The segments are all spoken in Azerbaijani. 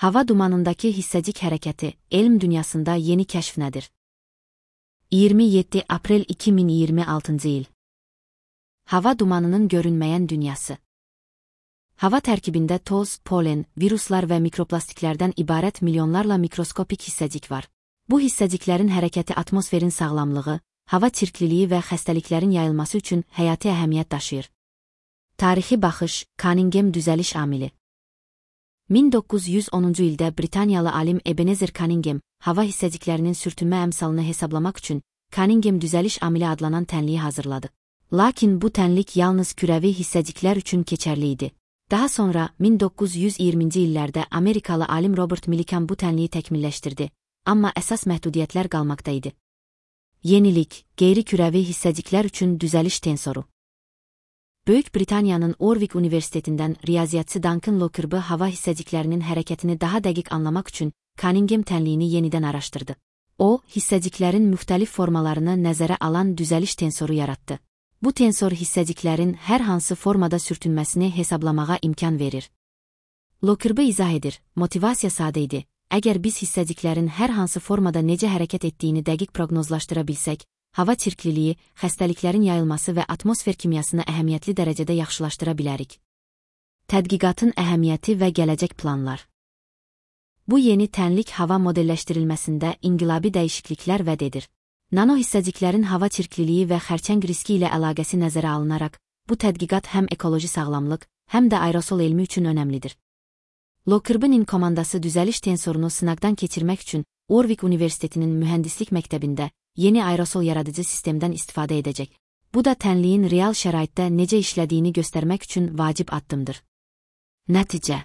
Hava dumanındakı hissəcik hərəkəti, elm dünyasında yeni kəşf nədir? 27 aprel 2026 il. Hava dumanının görünməyən dünyası. Hava tərkibində toz, polen, viruslar və mikroplastiklərdən ibarət milyonlarla mikroskopik hissəcik var. Bu hissəciklərin hərəkəti atmosferin sağlamlığı, hava çirkliliyi və xəstəliklərin yayılması üçün həyati əhəmiyyət daşıyır. Tarixi baxış, Cunningham düzəliş amili. 1910-cu ildə Britaniyalı alim Ebenezer Cunningham, hava hissəciklərinin sürtünmə əmsalını hesablamaq üçün Cunningham düzəliş amili adlanan tənliyi hazırladı. Lakin bu tənlik yalnız kürəvi hissəciklər üçün keçərli idi. Daha sonra 1920-ci illərdə Amerikalı alim Robert Millikan bu tənliyi təkmilləşdirdi, amma əsas məhdudiyyətlər qalmaqda idi. Yenilik, qeyri-kürəvi hissəciklər üçün düzəliş tensoru. Böyük Britaniyanın Warwick Universitetindən riyaziyyatçı Duncan Lockyer hava hissəciklərinin hərəkətini daha dəqiq anlamaq üçün Cunningham tənliyini yenidən araşdırdı. O, hissəciklərin müxtəlif formalarını nəzərə alan düzəliş tensoru yaratdı. Bu tensor hissəciklərin hər hansı formada sürtünməsini hesablamağa imkan verir. Lockyer izah edir, motivasiya sadə idi. Əgər biz hissəciklərin hər hansı formada necə hərəkət etdiyini dəqiq proqnozlaşdıra bilsək, hava çirkliliyi, xəstəliklərin yayılması və atmosfer kimyasını əhəmiyyətli dərəcədə yaxşılaşdıra bilərik. Tədqiqatın əhəmiyyəti və gələcək planlar. Bu yeni tənlik hava modelləşdirilməsində inqilabi dəyişikliklər vəd edir. Nano hissəciklərin hava çirkliliyi və xərçəng riski ilə əlaqəsi nəzərə alınaraq, bu tədqiqat həm ekoloji sağlamlıq, həm də aerosol elmi üçün önəmlidir. Lockerb'in komandası düzəliş tensorunu sınaqdan keçirmək üçün Warwick Universitetinin mühəndislik məktəbində yeni aerosol yaradıcı sistemdən istifadə edəcək. Bu da tənliyin real şəraitdə necə işlədiyini göstərmək üçün vacib addımdır. Nəticə.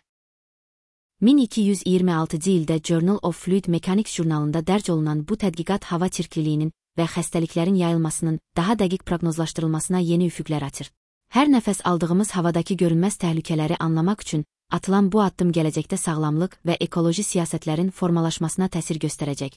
1226-cı ildə Journal of Fluid Mechanics jurnalında dərc olunan bu tədqiqat hava çirkliliyinin və xəstəliklərin yayılmasının daha dəqiq proqnozlaşdırılmasına yeni üfüqlər açır. Hər nəfəs aldığımız havadakı görünməz təhlükələri anlamaq üçün atılan bu addım gələcəkdə sağlamlıq və ekoloji siyasətlərin formalaşmasına təsir göstərəcək.